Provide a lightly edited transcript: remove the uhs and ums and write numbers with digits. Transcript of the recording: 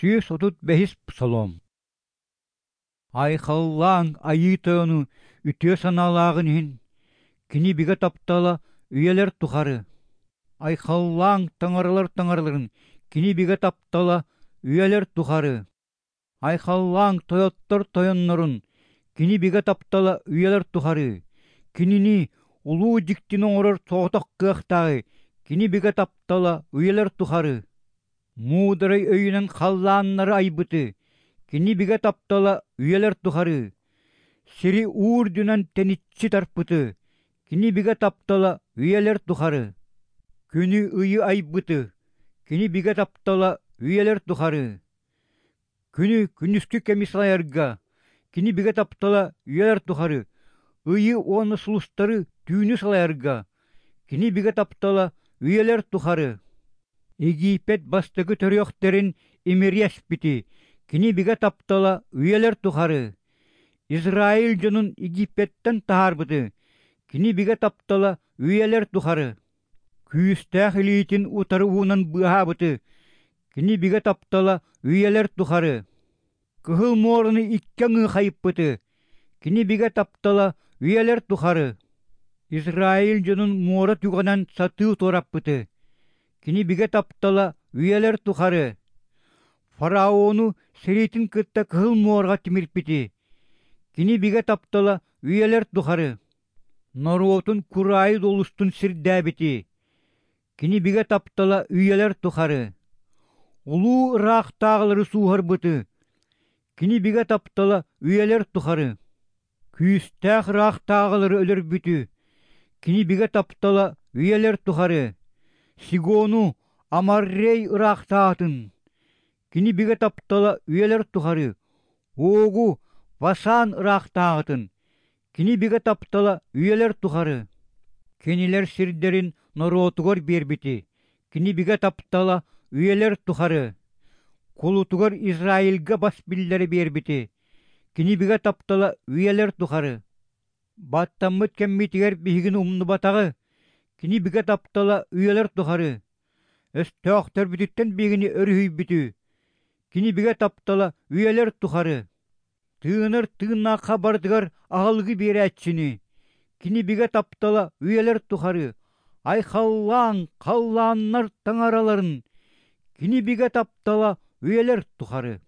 135 Псалом. Айхаллаң айытыны үтө саналаагын кини биге таптала үйелер тухары. Айхаллаң таңарларын кини биге таптала үйелер тухары. Айхаллаң тоyoттор тоyonнорун кини биге таптала үйелер тухары. Кинини улуу диктин оңорор тооток кыактагы кини биге таптала үйелер тухары. Мударай өйүнөн халлааннары айбыты кини биге таптала үйелер тухары. Сири уур дүнөн тенитчи тарпыты кини биге таптала үйелер тухары. Күнү ыйы айбыты кини биге таптала үйелер тухары. Күнү күнүскү кемисалайарга кини биге таптала үйелер тухары. Ыйы оны сулустары түйүнү салайарга кини биге таптала үйелер тухары. Египет бастыгы төрөктерин имериеспити кини биге таптала үйелер тухары. Израиль жонун Египеттен таарбыты кини биге таптала үйелер тухары. Күүстэх илиитин утары уунан быахабыты кини биге таптала үйелер тухары. Кыхыл мооруну икке хайыппыты кини биге таптала үйелер тухары. Израиль жонун моора туганан сатыы туураппыты кини биге таптала үйелер тухары. Фараону серитин кытта кыхыл моорга тимирпити кини биге таптала үйелер тухары. Нороотун курайы долустун сирдээбити кини биге таптала үйелер тухары. Улуу ыраактаагылары суухарбыты кини биге таптала үйелер тухары. Күүстэх ыраактаагылары өлөрбүтү кини биге таптала үйелер тухары. Сигону Амаррей ыраактаатын кини биге таптала үйелер тухары. Оогу Басан ыраактаатын кини биге таптала үйелер тухары. Кенилер сирдерин нороотугар бербити кини биге таптала үйелер тухары. Кулутугар Израильга бас биллери бербити кини биге таптала үйелер тухары. Баттаммыт кеммитигер бихигин умнубатагы кини биге таптала үйелер тухары. Өстөктөр бүтүттен бигини өрүхүйбүтү кини биге таптала үйелер тухары. Тыыныр тыыннаакка бардыгар агалгы берээчини кини биге таптала үйелер тухары. Айхаллаң халлааннар таңараларын кини биге таптала үйелер тухары.